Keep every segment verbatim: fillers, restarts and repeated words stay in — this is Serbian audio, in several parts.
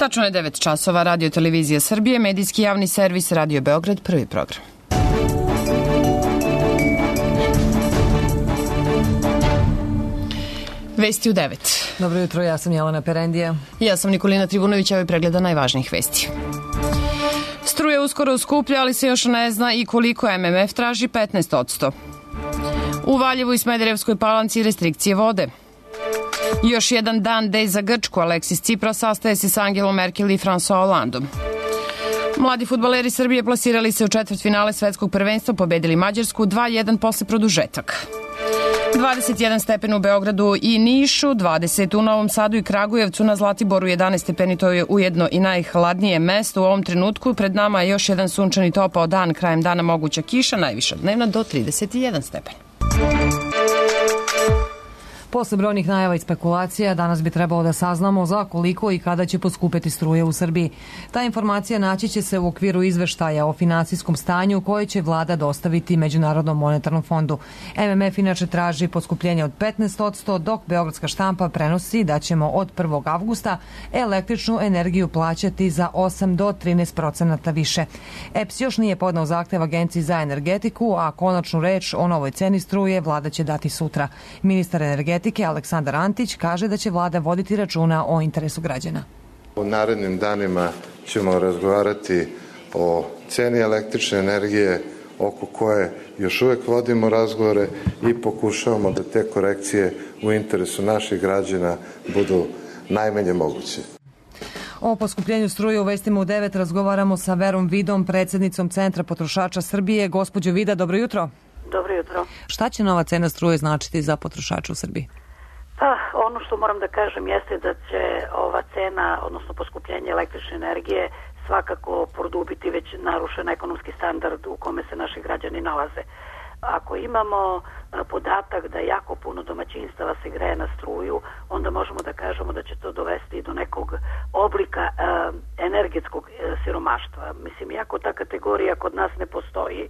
Tačno je devet časova, Radio Televizija Srbije, medijski javni servis Radio Beograd, prvi program. Vesti u devet. Dobro jutro, ja sam Jelena Perendija. Ja sam Nikolina Trivunović, ovo je pregleda najvažnijih vesti. Struja uskoro skuplja, ali se još ne zna i koliko M M F traži petnaest posto. U Valjevu i Smederevskoj Palanci restrikcije vode. Još jedan dan dej za Grčku, Aleksis Tsipras sastaje se s Angelom Merkel i François Hollandom. Mladi fudbaleri Srbije plasirali se u četvrtfinale svetskog prvenstva, pobedili Mađarsku dva jedan posle produžetaka. dvadeset jedan stepen u Beogradu i Nišu, dvadeset u Novom Sadu i Kragujevcu, na Zlatiboru jedanaest stepeni, to je ujedno i najhladnije mesto u ovom trenutku. Pred nama je još jedan sunčani topao dan, krajem dana moguća kiša, najviša dnevna do trideset jedan stepen. Posle brojnih najava i spekulacija, danas bi trebalo da saznamo za koliko i kada će poskupeti struje u Srbiji. Ta informacija naći će se u okviru izveštaja o finansijskom stanju koje će vlada dostaviti Međunarodnom monetarnom fondu. M M F inače traži poskupljenje od petnaest posto, dok Beogradska štampa prenosi da ćemo od prvog avgusta električnu energiju plaćati za osam do trinaest procenata više. E P S još nije podneo zahtev Agenciji za energetiku, a konačnu reč o novoj ceni struje vlada će dati sutra. Ministar energetike Aleksandar Antić kaže da će vlada voditi računa o interesu građana. U narednim danima ćemo razgovarati o ceni električne energije oko koje još uvek vodimo razgovore i pokušavamo da te korekcije u interesu naših građana budu najmanje moguće. O poskupljenju struje u vestima u devet razgovaramo sa Verom Vidom, predsjednicom Centra potrošača Srbije. Gospođo Vida, dobro jutro. Dobro jutro. Šta će nova cena struje značiti za potrošača u Srbiji? Pa, ono što moram da kažem jeste da će ova cena, odnosno poskupljenje električne energije, svakako produbiti već narušen ekonomski standard u kome se naši građani nalaze. Ako imamo podatak da jako puno domaćinstava se greje na struju, onda možemo da kažemo da će to dovesti do nekog oblika e, energetskog e, siromaštva. Mislim, iako ta kategorija kod nas ne postoji, e,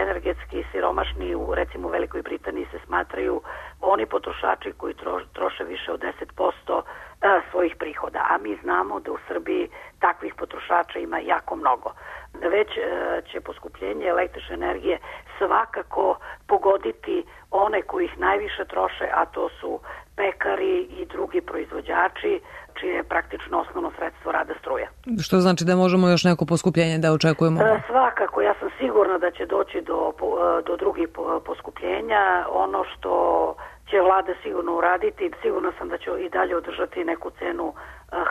energetski siromašni u recimo Velikoj Britaniji se smatraju oni potrošači koji tro, troše više od deset posto e, svojih prihoda, a mi znamo da u Srbiji takvih potrošača ima jako mnogo. Već e, će poskupljenje električne energije svakako pogoditi one koji ih najviše troše, a to su pekari i drugi proizvođači, čije je praktično osnovno sredstvo rada struja. Što znači da možemo još neko poskupljenje da očekujemo? E, svakako, ja sam sigurna da će doći do, do drugih poskupljenja. Ono što će vlada sigurno uraditi, sigurno sam da će i dalje održati neku cenu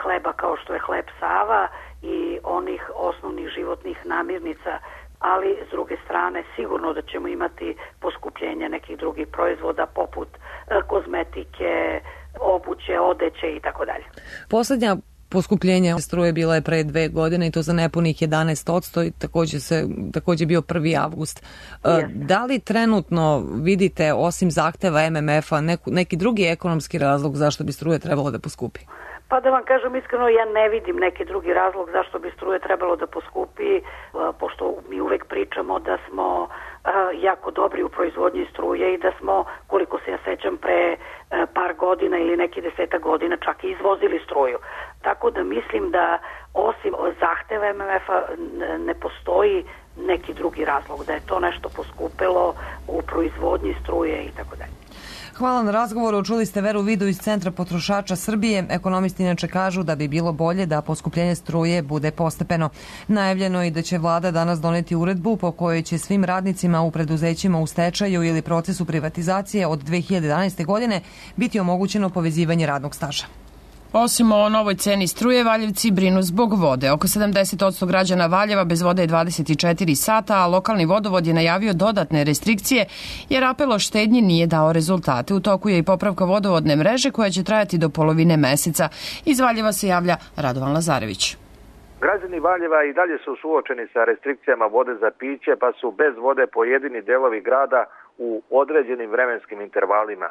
hleba kao što je hleb Sava i onih osnovnih životnih namirnica, ali s druge strane sigurno da ćemo imati poskupljenje nekih drugih proizvoda poput kozmetike, obuće, odeće i tako dalje. Poslednja poskupljenja struje bila je pre dve godine i to za nepunih jedanaest posto i takođe se takođe bio prvi avgust. Yes. Da li trenutno vidite, osim zahteva M M F-a, neku, neki drugi ekonomski razlog zašto bi struje trebalo da poskupi? Pa da vam kažem iskreno, ja ne vidim neki drugi razlog zašto bi struje trebalo da poskupi, pošto mi uvek pričamo da smo jako dobri u proizvodnji struje i da smo, koliko se ja sećam, pre par godina ili neki deseta godina čak i izvozili struju. Tako da mislim da osim zahteva M M F-a ne postoji neki drugi razlog, da je to nešto poskupilo u proizvodnji struje i tako dalje. Hvala na razgovoru. Čuli ste Veru Vidu iz Centra potrošača Srbije. Ekonomisti inače kažu da bi bilo bolje da poskupljenje struje bude postepeno. Najavljeno je da će vlada danas doneti uredbu po kojoj će svim radnicima u preduzećima u stečaju ili procesu privatizacije od dve hiljade jedanaeste. godine biti omogućeno povezivanje radnog staža. Osim o novoj ceni struje, Valjevci brinu zbog vode. Oko sedamdeset posto građana Valjeva bez vode je dvadeset četiri sata, a lokalni vodovod je najavio dodatne restrikcije jer apel o štednji nije dao rezultate. U toku je i popravka vodovodne mreže koja će trajati do polovine meseca. Iz Valjeva se javlja Radovan Lazarević. Građani Valjeva i dalje su suočeni sa restrikcijama vode za piće, pa su bez vode pojedini delovi grada u određenim vremenskim intervalima.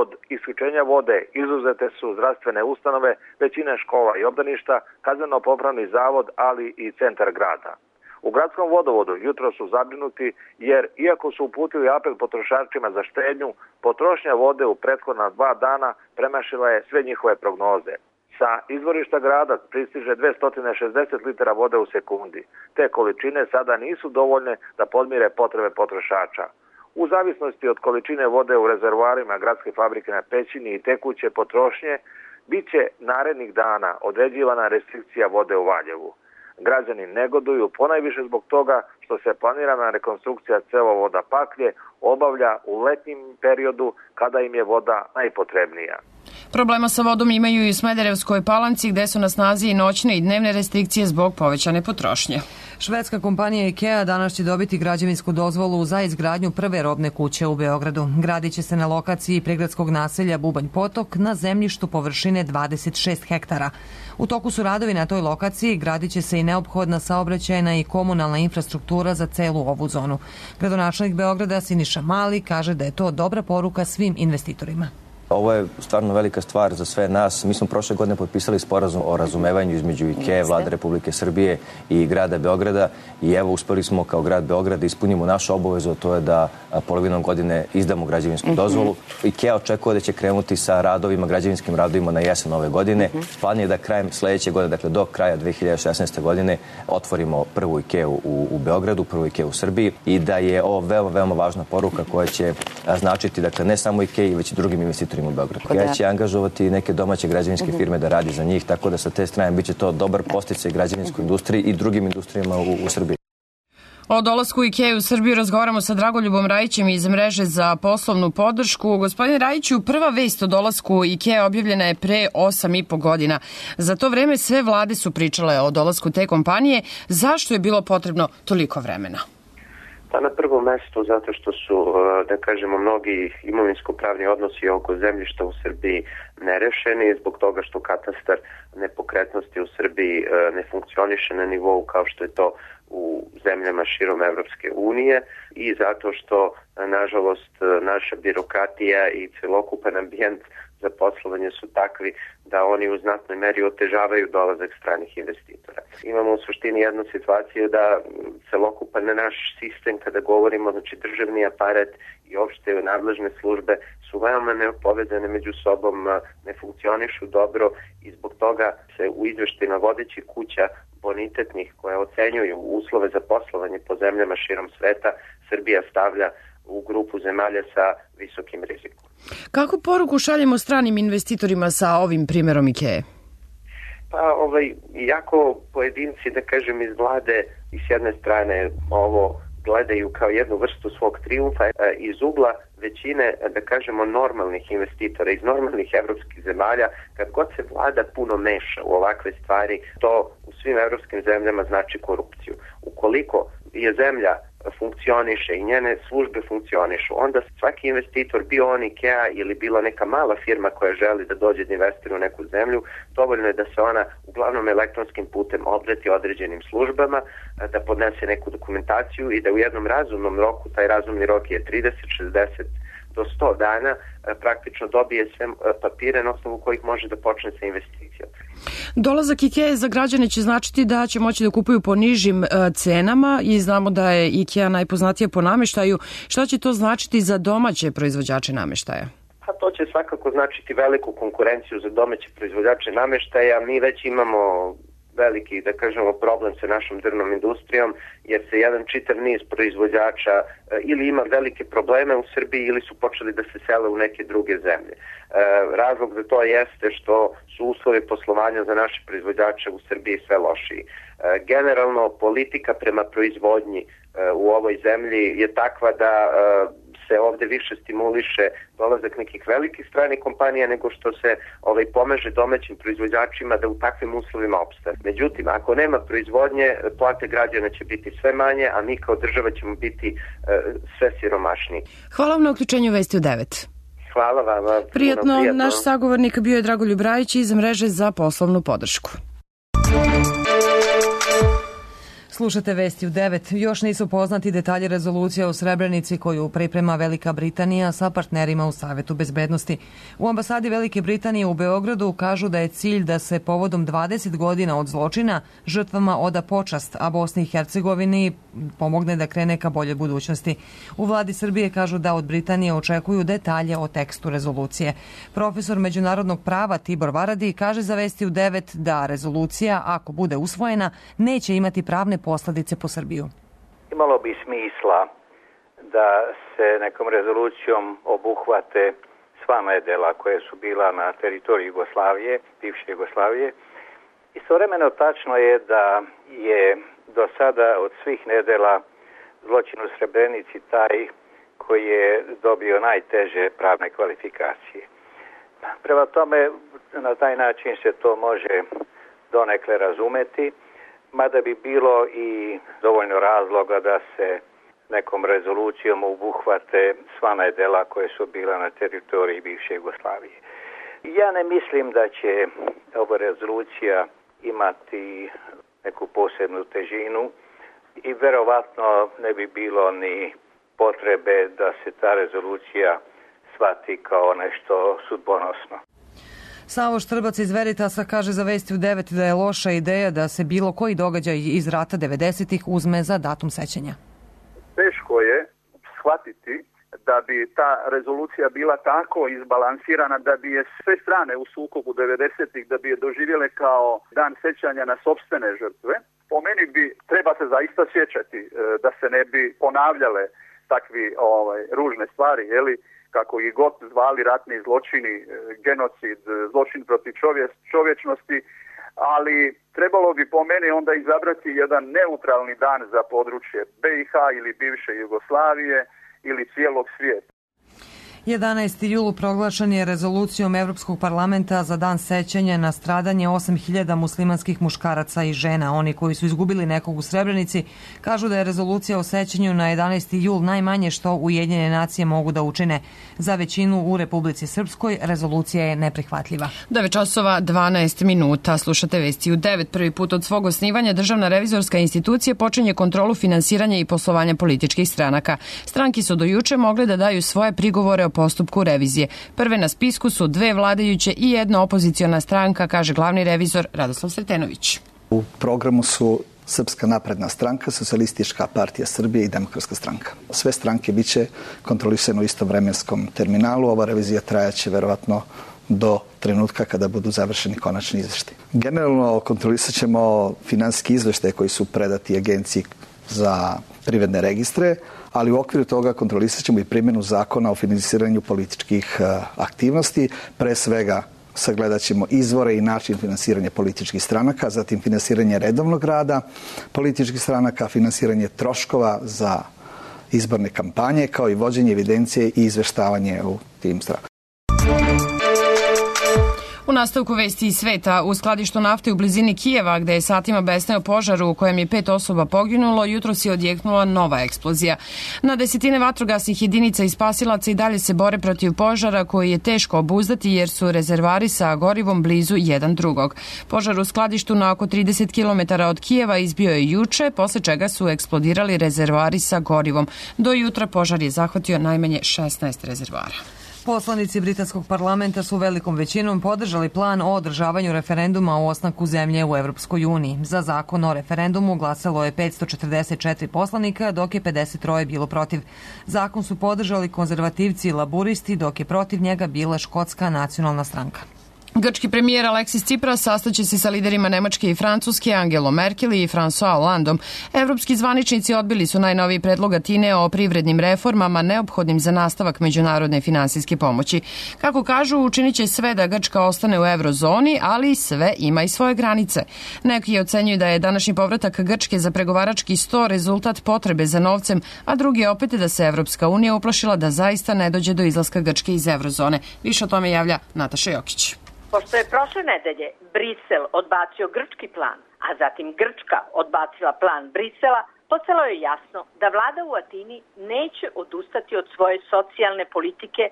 Od isključenja vode izuzete su zdravstvene ustanove, većina škola i obdaništa, kazneno-popravni zavod, ali i centar grada. U gradskom vodovodu jutro su zabrinuti jer, iako su uputili apel potrošačima za štednju, potrošnja vode u prethodna dva dana premašila je sve njihove prognoze. Sa izvorišta grada pristiže dvesta šezdeset litara vode u sekundi. Te količine sada nisu dovoljne da podmire potrebe potrošača. U zavisnosti od količine vode u rezervoarima gradske fabrike na Pećini i tekuće potrošnje, bit će narednih dana određivana restrikcija vode u Valjevu. Građani negoduju ponajviše zbog toga što se planirana rekonstrukcija cevovoda Paklje obavlja u letnjem periodu kada im je voda najpotrebnija. Problema sa vodom imaju i u Smederevskoj Palanci gde su na snazi i noćne i dnevne restrikcije zbog povećane potrošnje. Švedska kompanija IKEA danas će dobiti građevinsku dozvolu za izgradnju prve robne kuće u Beogradu. Gradit će se na lokaciji prigradskog naselja Bubanj Potok na zemljištu površine dvadeset šest hektara. U toku su radovi na toj lokaciji, gradit će se i neophodna saobraćajna i komunalna infrastruktura za celu ovu zonu. Gradonačelnik Beograda Siniša Mali kaže da je to dobra poruka svim investitorima. Ovo je stvarno velika stvar za sve nas. Mi smo prošle godine potpisali sporazum o razumevanju između IKEA, Vlade Republike Srbije i grada Beograda i evo uspeli smo kao grad Beograd da ispunimo našu obavezu, a to je da polovinom godine izdamo građevinsku dozvolu. IKEA očekuje da će krenuti sa radovima, građevinskim radovima na jesen ove godine. Plan je da krajem sledeće godine, dakle do kraja dve hiljade šesnaeste. godine, otvorimo prvu IKEA u, u Beogradu, prvu IKEA u Srbiji i da je ovo veoma, veoma važna poruka koja će značiti, dakle, ne samo IKEA, već i drugim investitorima u Beogradu. Ja će angažovati neke domaće građevinske firme da radi za njih, tako da sa te strane biće to dobar podsticaj građevinskoj industriji i drugim industrijama u, u Srbiji. O dolasku IKEA u Srbiju razgovaramo sa Dragoljubom Rajićem iz mreže za poslovnu podršku. Gospodine Rajiću, prva vest o dolasku IKEA objavljena je pre osam i po godina. Za to vreme sve vlade su pričale o dolasku te kompanije. Zašto je bilo potrebno toliko vremena? Pa na prvom mestu zato što su, da kažemo, mnogi imovinsko-pravni odnosi oko zemljišta u Srbiji nerešeni, zbog toga što katastar nepokretnosti u Srbiji ne funkcioniše na nivou kao što je to u zemljama širom Evropske unije i zato što, nažalost, naša birokratija i celokupan ambijent za poslovanje su takvi da oni u znatnoj meri otežavaju dolazak stranih investitora. Imamo u suštini jednu situaciju da celokupan naš sistem, kada govorimo, znači državni aparat i opšte nadležne službe su veoma nepovezane među sobom, ne funkcionišu dobro i zbog toga se u izveštajima vodećih kuća bonitetnih koje ocenjuju uslove za poslovanje po zemljama širom sveta, Srbija stavlja u grupu zemalja sa visokim rizikom. Kako poruku šaljemo stranim investitorima sa ovim primjerom IKEA? Pa ovaj, jako pojedinci, da kažem, iz vlade i s jedne strane ovo gledaju kao jednu vrstu svog trijumfa, iz ugla većine, da kažemo, normalnih investitora iz normalnih evropskih zemalja, kad god se vlada puno meša u ovakve stvari, to u svim evropskim zemljama znači korupciju. Ukoliko je zemlja funkcioniše i njene službe funkcionišu, onda svaki investitor, bio on IKEA ili bila neka mala firma koja želi da dođe da investira u neku zemlju, dovoljno je da se ona uglavnom elektronskim putem obrati određenim službama, da podnese neku dokumentaciju i da u jednom razumnom roku, taj razumni rok je trideset, šezdeset do sto dana, praktično dobije sve papire na osnovu kojih može da počne sa investicijom. Dolazak IKEA za građane će značiti da će moći da kupuju po nižim cenama i znamo da je IKEA najpoznatija po nameštaju. Šta će to značiti za domaće proizvođače nameštaja? Pa to će svakako značiti veliku konkurenciju za domaće proizvođače nameštaja. Mi već imamo veliki, da kažemo, problem sa našom drvnom industrijom, jer se jedan čitav niz proizvođača ili ima velike probleme u Srbiji ili su počeli da se sele u neke druge zemlje. Razlog za to jeste što su uslovi poslovanja za naše proizvođače u Srbiji sve lošiji. Generalno, politika prema proizvodnji u ovoj zemlji je takva da se ovde više stimuliše dolazak nekih velikih stranih kompanija nego što se ovaj, pomaže domaćim proizvođačima da u takvim uslovima opstane. Međutim, ako nema proizvodnje, plate građana će biti sve manje, a mi kao država ćemo biti e, sve siromašniji. Hvala vam na uključenju Vesti u devet. Hvala vam. Prijatno, prijatno. Naš sagovornik bio je Dragoljub Rajić iz mreže za poslovnu podršku. Slušate Vesti u devet. Još nisu poznati detalji rezolucije o Srebrenici koju priprema Velika Britanija sa partnerima u Savetu bezbednosti. U ambasadi Velike Britanije u Beogradu kažu da je cilj da se povodom dvadeset godina od zločina žrtvama oda počast, a Bosni i Hercegovini pomogne da krene ka boljoj budućnosti. U vladi Srbije kažu da od Britanije očekuju detalje o tekstu rezolucije. Profesor međunarodnog prava Tibor Varadi kaže za Vesti u devet da rezolucija, ako bude usvojena, neće imati pravne posledice po Srbiju. Imalo bi smisla da se nekom rezolucijom obuhvate sva nedela koje su bila na teritoriji Jugoslavije, bivše Jugoslavije. Istovremeno tačno je da je do sada od svih nedela zločin u Srebrenici taj koji je dobio najteže pravne kvalifikacije. Prema tome, na taj način se to može donekle razumeti, mada bi bilo i dovoljno razloga da se nekom rezolucijom obuhvate sva nedela koje su bila na teritoriji bivše Jugoslavije. Ja ne mislim da će ova rezolucija imati neku posebnu težinu i verovatno ne bi bilo ni potrebe da se ta rezolucija shvati kao nešto sudbonosno. Savo Štrbac iz Veritasa kaže za Vesti u devet da je loša ideja da se bilo koji događaj iz rata devedesetih uzme za datum sećanja. Teško je shvatiti da bi ta rezolucija bila tako izbalansirana da bi je sve strane u sukobu devedesetih da bi je doživjele kao dan sećanja na sopstvene žrtve. Po meni bi treba se zaista sjećati da se ne bi ponavljale takvi ovaj, ružne stvari, jeli, kako i god zvali ratni zločini, genocid, zločin protiv čovje, čovječnosti, ali trebalo bi po meni onda izabrati jedan neutralni dan za područje B i H ili bivše Jugoslavije ili cijelog svijeta. jedanaesti jul proglašen je rezolucijom Evropskog parlamenta za dan sećanja na stradanje osam hiljada muslimanskih muškaraca i žena. Oni koji su izgubili nekog u Srebrenici kažu da je rezolucija o sećanju na jedanaesti jul najmanje što Ujedinjene nacije mogu da učine. Za većinu u Republici Srpskoj rezolucija je neprihvatljiva. devet časova dvanaest minuta. Slušate Vesti u devet. Prvi put od svog osnivanja Državna revizorska institucija počinje kontrolu finansiranja i poslovanja političkih stranaka. Stranki su do juče mogle da daju svoje prigovore o postupku revizije. Prve na spisku su dve vladajuće i jedna opoziciona stranka, kaže glavni revizor Radoslav Sretenović. U programu su Srpska napredna stranka, Socijalistička partija Srbije i Demokratska stranka. Sve stranke biće kontrolisane u istom vremenskom terminalu. Ova revizija trajaće verovatno do trenutka kada budu završeni konačni izveštaji. Generalno kontrolisat ćemo finansijski izveštaje koji su predati Agenciji za privredne registre, ali u okviru toga kontrolisat ćemo i primjenu zakona o finansiranju političkih aktivnosti. Pre svega sagledat ćemo izvore i način finansiranja političkih stranaka, zatim finansiranje redovnog rada političkih stranaka, finansiranje troškova za izborne kampanje, kao i vođenje evidencije i izveštavanje u tim stranama. U nastavku Vesti iz sveta, u skladištu nafte u blizini Kijeva, gde je satima besneo požar u kojem je pet osoba poginulo, jutros je odjeknula nova eksplozija. Na desetine vatrogasnih jedinica i spasilaca i dalje se bore protiv požara koji je teško obuzdati jer su rezervari sa gorivom blizu jedan drugog. Požar u skladištu na oko trideset kilometara od Kijeva izbio je juče, posle čega su eksplodirali rezervari sa gorivom. Do jutra požar je zahvatio najmanje šesnaest rezervara. Poslanici britanskog parlamenta su velikom većinom podržali plan o održavanju referenduma o ostanku zemlje u Evropskoj uniji. Za zakon o referendumu glasalo je petsto četrdeset četiri poslanika, dok je pedeset tri bilo protiv. Zakon su podržali konzervativci i laburisti, dok je protiv njega bila Škotska nacionalna stranka. Grčki premijer Aleksis Tsipras sastaće se sa liderima Nemačke i Francuske, Angelom Merkel i François Hollandom. Evropski zvaničnici odbili su najnoviji predlog Atine o privrednim reformama neophodnim za nastavak međunarodne finansijske pomoći. Kako kažu, učinit će sve da Grčka ostane u eurozoni, ali sve ima i svoje granice. Neki ocenjuju da je današnji povratak Grčke za pregovarački sto rezultat potrebe za novcem, a drugi opet da se Evropska unija uplašila da zaista ne dođe do izlaska Grčke iz eurozone. Više o tome javlja Nataša Jokić. Pošto je prošle nedelje Brisel odbacio grčki plan, a zatim Grčka odbacila plan Brisela, postalo je jasno da vlada u Atini neće odustati od svoje socijalne politike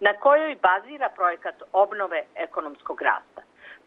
na kojoj bazira projekat obnove ekonomskog rasta.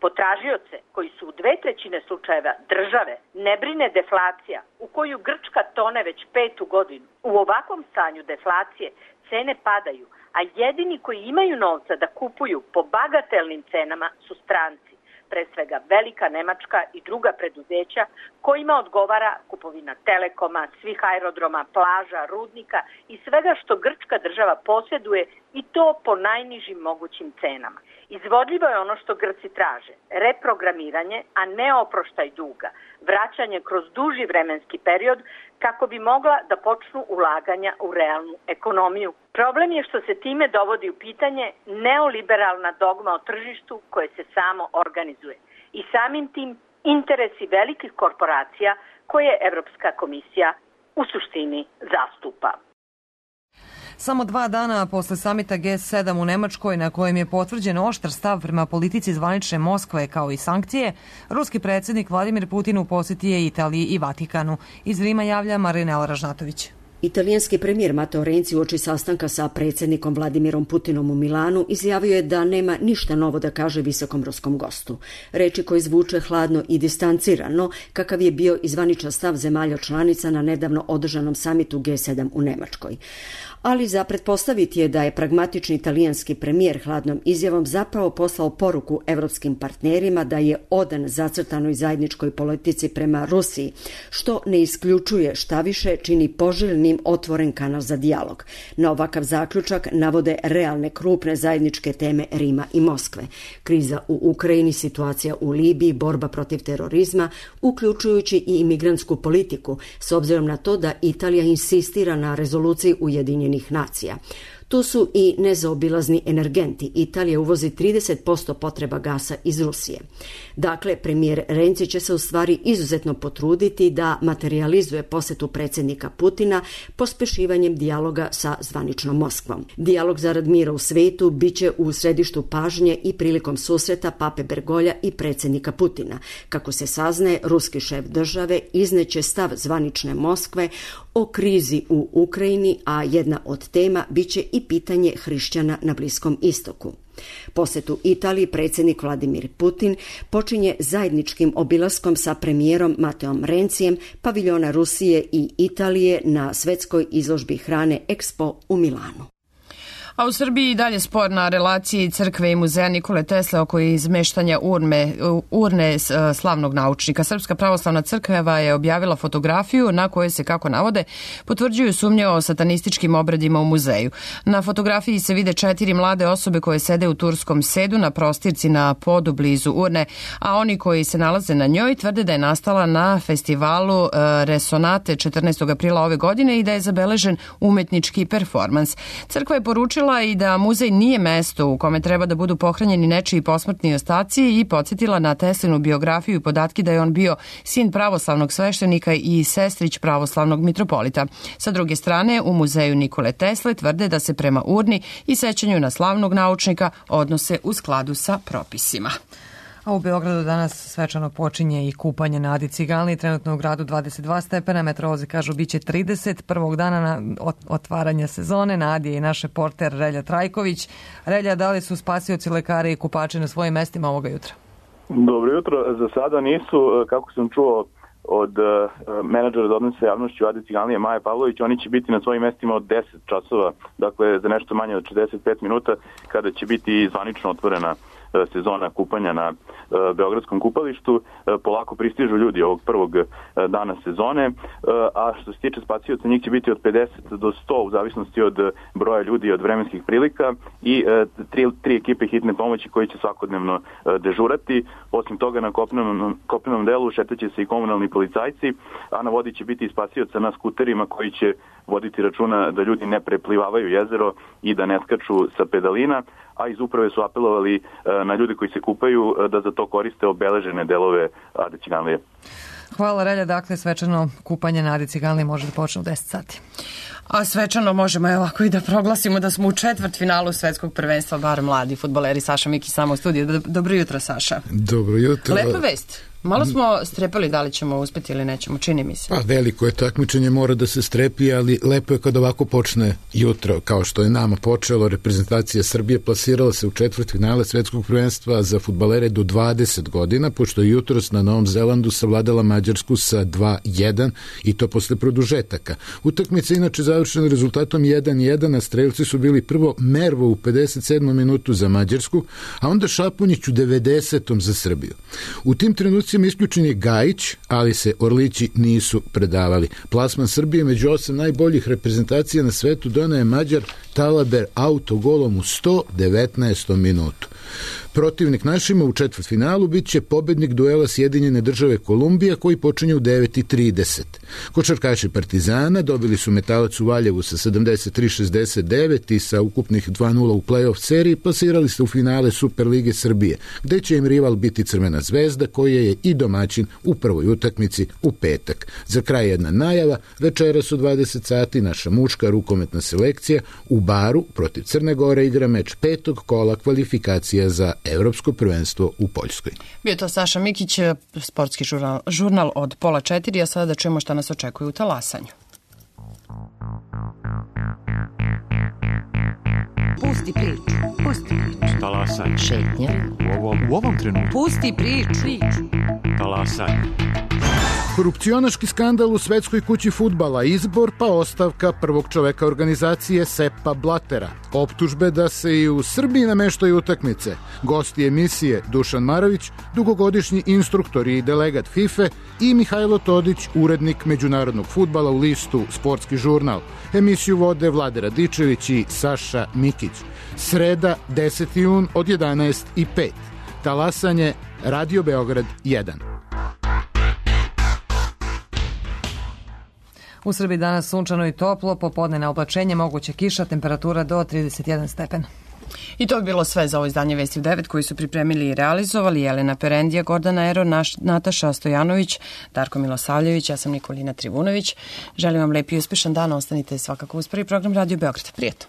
Potražioce, koji su u dve trećine slučajeva države, ne brine deflacija u koju Grčka tone već petu godinu. U ovakvom stanju deflacije cene padaju, a jedini koji imaju novca da kupuju po bagatelnim cenama su stranci, pre svega velika Nemačka i druga preduzeća kojima odgovara kupovina Telekoma, svih aerodroma, plaža, rudnika i svega što grčka država posjeduje, i to po najnižim mogućim cenama. Izvodljivo je ono što Grci traže, reprogramiranje, a ne oproštaj duga, vraćanje kroz duži vremenski period kako bi mogla da počnu ulaganja u realnu ekonomiju. Problem je što se time dovodi u pitanje neoliberalna dogma o tržištu koje se samo organizuje i samim tim interesi velikih korporacija koje Evropska komisija u suštini zastupa. Samo dva dana posle samita G sedam u Nemačkoj, na kojem je potvrđen oštar stav prema politici zvanične Moskve kao i sankcije, ruski predsjednik Vladimir Putin u posjeti je Italiji i Vatikanu. Iz Rima javlja Marinela Ražnatović. Italijanski premijer Matteo Renzi uoči sastanka sa predsjednikom Vladimirom Putinom u Milanu izjavio je da nema ništa novo da kaže visokom ruskom gostu. Reči koji zvuče hladno i distancirano, kakav je bio i zvaničan stav zemalja članica na nedavno održanom samitu G sedam u Nemačkoj. Ali za pretpostaviti je da je pragmatični italijanski premijer hladnom izjavom zapravo poslao poruku evropskim partnerima da je odan zacrtanoj zajedničkoj politici prema Rusiji, što ne isključuje, šta više čini poželjnim otvoren kanal za dijalog. Na ovakav zaključak navode realne krupne zajedničke teme Rima i Moskve. Kriza u Ukrajini, situacija u Libiji, borba protiv terorizma, uključujući i imigrantsku politiku, s obzirom na to da Italija insistira na rezoluciji Ujedinjenih nacija. Tu su i nezaobilazni energenti. Italija uvozi trideset posto potreba gasa iz Rusije. Dakle, premijer Renzi će se u stvari izuzetno potruditi da materializuje posjetu predsjednika Putina pospešivanjem dijaloga sa zvaničnom Moskvom. Dijalog zarad mira u svetu biće u središtu pažnje i prilikom susreta pape Bergolja i predsjednika Putina. Kako se saznaje, ruski šef države izneće stav zvanične Moskve o krizi u Ukrajini, a jedna od tema biće i pitanje hrišćana na Bliskom istoku. Posjetu Italiji predsjednik Vladimir Putin počinje zajedničkim obilaskom sa premijerom Mateom Renzijem paviljona Rusije i Italije na svetskoj izložbi hrane Expo u Milanu. A u Srbiji i dalje spor na relaciji crkve i muzeja Nikole Tesle oko izmeštanja urne, urne slavnog naučnika. Srpska pravoslavna crkva je objavila fotografiju na kojoj se, kako navode, potvrđuju sumnje o satanističkim obredima u muzeju. Na fotografiji se vide četiri mlade osobe koje sede u turskom sedu na prostirci na podu blizu urne, a oni koji se nalaze na njoj tvrde da je nastala na festivalu Resonate četrnaestog aprila ove godine i da je zabeležen umetnički performans. Crkva je poručila i da muzej nije mesto u kome treba da budu pohranjeni nečiji posmrtni ostaci i podsjetila na Teslinu biografiju i podatke da je on bio sin pravoslavnog sveštenika i sestrić pravoslavnog mitropolita. Sa druge strane, u muzeju Nikole Tesle tvrde da se prema urni i sećanju na slavnog naučnika odnose u skladu sa propisima. A u Beogradu danas svečano počinje i kupanje na Adi Ciganliji, trenutno u gradu dvadeset dva stepena, meteorolozi kažu biće trideset, prvog dana na otvaranja sezone. Na Adi je i naš reporter Relja Trajković. Relja, da li su spasioci, lekari i kupači na svojim mestima ovoga jutra? Dobro jutro, za sada nisu, kako sam čuo od uh, menadžera za odnose javnošću Adi Ciganlije Maje Pavlović, oni će biti na svojim mestima od deset časova, dakle za nešto manje od šezdeset pet minuta, kada će biti zvanično otvorena sezona kupanja na uh, Beogradskom kupalištu. Uh, polako pristižu ljudi ovog prvog uh, dana sezone, uh, a što se tiče spasioca, njih će biti od pedeset do sto u zavisnosti od uh, broja ljudi i od vremenskih prilika i uh, tri, tri ekipe hitne pomoći koji će svakodnevno uh, dežurati. Osim toga, na kopnenom, kopnenom delu šetaće se i komunalni policajci, a na vodi će biti i spasioca na skuterima koji će voditi računa da ljudi ne preplivavaju jezero i da ne skaču sa pedalina, a iz uprave su apelovali na ljude koji se kupaju da za to koriste obeležene delove Ade Ciganlije. Hvala, Relja. Dakle, svečano kupanje na Adi Ciganliji može da počne u deset sati. A svečano možemo je ovako i da proglasimo da smo u četvrtfinalu svetskog prvenstva, bar mladi fudbaleri. Saša Miki samo u studiju. Dobro jutro, Saša. Dobro jutro. Lepa vest. Malo smo strepali da li ćemo uspeti ili nećemo, čini mi se. Pa veliko je takmičenje, mora da se strepi, ali lepo je kad ovako počne jutro, kao što je nama počelo. Reprezentacija Srbije plasirala se u četvrtfinale svetskog prvenstva za fudbalere do dvadeset godina, pošto je jutros na Novom Zelandu savladala Mađarsku sa dva jedan i to posle produžetaka. Utakmica inače završena rezultatom jedan jedan, a strelci su bili prvo Mervo u pedeset sedmom minutu za Mađarsku, a onda Šapunjić u devedesetom za Srbiju. U tim trenucima isključen je Gajić, ali se Orlići nisu predavali. Plasman Srbije među osam najboljih reprezentacija na svetu doneo je Mađar Talaber autogolom u sto devetnaestom minutu. Protivnik našima u četvrtfinalu bit će pobednik duela Sjedinjene države Kolumbija koji počinje u devet i trideset. Košarkaši Partizana dobili su Metalac u Valjevu sa sedamdeset tri šezdeset devet i sa ukupnih dva nula u play-off seriji plasirali se u finale Superlige Srbije, gde će im rival biti Crvena zvezda koja je i domaćin u prvoj utakmici u petak. Za kraj jedna najava, večeras u dvadeset sati naša muška rukometna selekcija u Baru protiv Crne Gore igra meč petog kola kvalifikacija za Evropsko prvenstvo u Poljskoj. Bio to Saša Mikić, sportski žurnal, žurnal od pola četiri, a sada da čujemo šta nas očekuje u talasanju. Pusti priču, pusti priču. Talasanje. Šetnja. U ovom, u ovom trenutku. Pusti priču. Talasanje. Korupcionaški skandal u svetskoj kući fudbala, izbor pa ostavka prvog čoveka organizacije Sepa Blatera. Optužbe da se i u Srbiji nameštaju utakmice. Gosti emisije Dušan Marović, dugogodišnji instruktor i delegat FIFA i Mihajlo Todić, urednik međunarodnog fudbala u listu Sportski žurnal. Emisiju vode Vlade Radičević i Saša Mikić. Sreda, deseti jun od jedanaest i pet. Talasanje, Radio Beograd jedan. U Srbiji danas sunčano i toplo, popodne na oblačenje, moguće kiša, temperatura do trideset jedan stepen. I to bi bilo sve za ovo izdanje Vesti u devet koji su pripremili i realizovali Jelena Perendija, Gordana Ero, naš, Nataša Stojanović, Darko Milosavljević, ja sam Nikolina Trivunović. Želim vam lep i uspešan dan, ostanite svakako uz prvi program Radio Beograd. Prijetno.